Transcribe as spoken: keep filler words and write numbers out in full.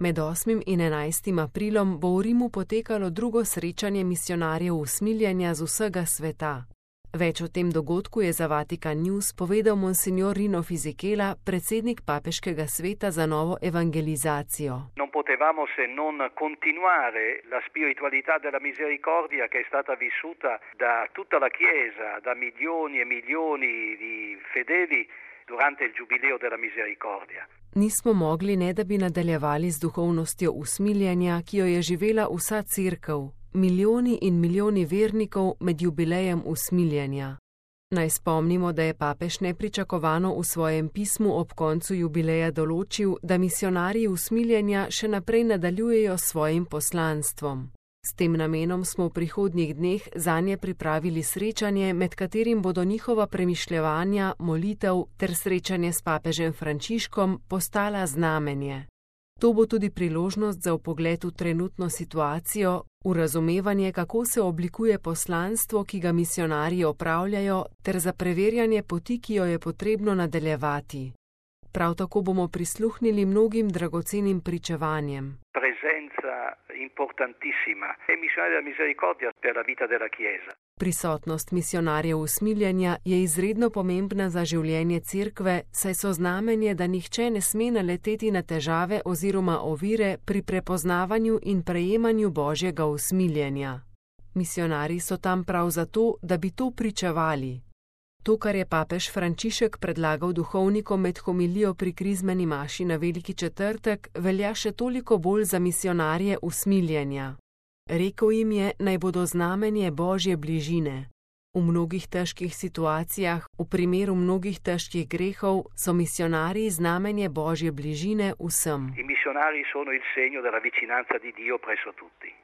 Med osmim in enajstim aprilom bo v Rimu potekalo drugo srečanje misijonarjev usmiljenja z vsega sveta. Več o tem dogodku je za Vatikan News povedal monsignor Rino Fisichella, predsednik Papeškega sveta za novo evangelizacijo. Non potevamo se non continuare la spiritualità della misericordia che è stata vissuta da tutta la Chiesa, da milioni e milioni di fedeli durante il giubileo della misericordia. Nismo mogli, ne da bi nadaljevali z duhovnostjo usmiljenja, ki jo je živela vsa cerkev, milijoni in milijoni vernikov med jubilejem usmiljenja. Naj spomnimo, da je papež nepričakovano v svojem pismu ob koncu jubileja določil, da misijonarji usmiljenja še naprej nadaljujejo s svojim poslanstvom. S tem namenom smo v prihodnjih dneh zanje pripravili srečanje, med katerim bodo njihova premišljevanja, molitev ter srečanje s papežem Frančiškom postala znamenje. To bo tudi priložnost za vpogled v trenutno situacijo, v razumevanje, kako se oblikuje poslanstvo, ki ga misijonarji opravljajo, ter za preverjanje poti, ki jo je potrebno nadaljevati. Prav tako bomo prisluhnili mnogim dragocenim pričevanjem. Presenza importantissima e missionari della misericordia per la vita della Chiesa. Prisotnost misijonarjev usmiljenja je izredno pomembna za življenje cerkve, saj so znamenje, da nihče ne sme naleteti na težave oziroma ovire pri prepoznavanju in prejemanju Božjega usmiljenja. Misijonarji so tam prav zato, da bi to pričevali. To, kar je papež Frančišek predlagal duhovnikom med homilijo pri krizmeni maši na Veliki četrtek, velja še toliko bolj za misijonarje usmiljenja. Rekel jim je, naj bodo znamenje Božje bližine. V mnogih težkih situacijah, v primeru mnogih težkih grehov, so misijonarji znamenje Božje bližine vsem. I missionari sono il segno della vicinanza di Dio presso tutti.